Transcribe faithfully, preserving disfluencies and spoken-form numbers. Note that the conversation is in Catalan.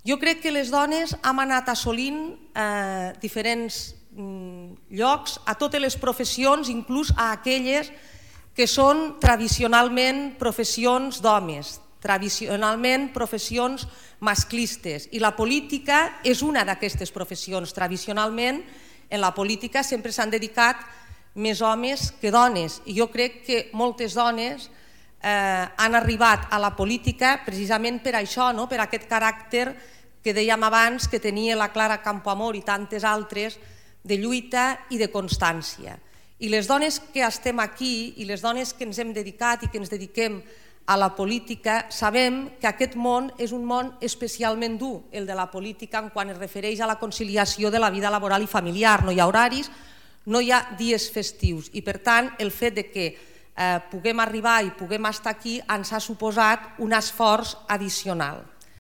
Jo crec que les dones hem anat assolint eh, diferents mm, llocs a totes les professions, inclús a aquelles que són tradicionalment professions d'homes, tradicionalment professions masclistes, i la política és una d'aquestes professions. Tradicionalment en la política sempre s'han dedicat més homes que dones, i jo crec que moltes dones Eh, han arribat a la política precisament per això, no? Per aquest caràcter que dèiem abans que tenia la Clara Campoamor i tantes altres de lluita i de constància. I les dones que estem aquí i les dones que ens hem dedicat i que ens dediquem a la política sabem que aquest món és un món especialment dur, el de la política, en quan es refereix a la conciliació de la vida laboral i familiar. No hi ha horaris, no hi ha dies festius, i per tant el fet de que Eh, puguem arribar i puguem estar aquí ens ha suposat un esforç addicional.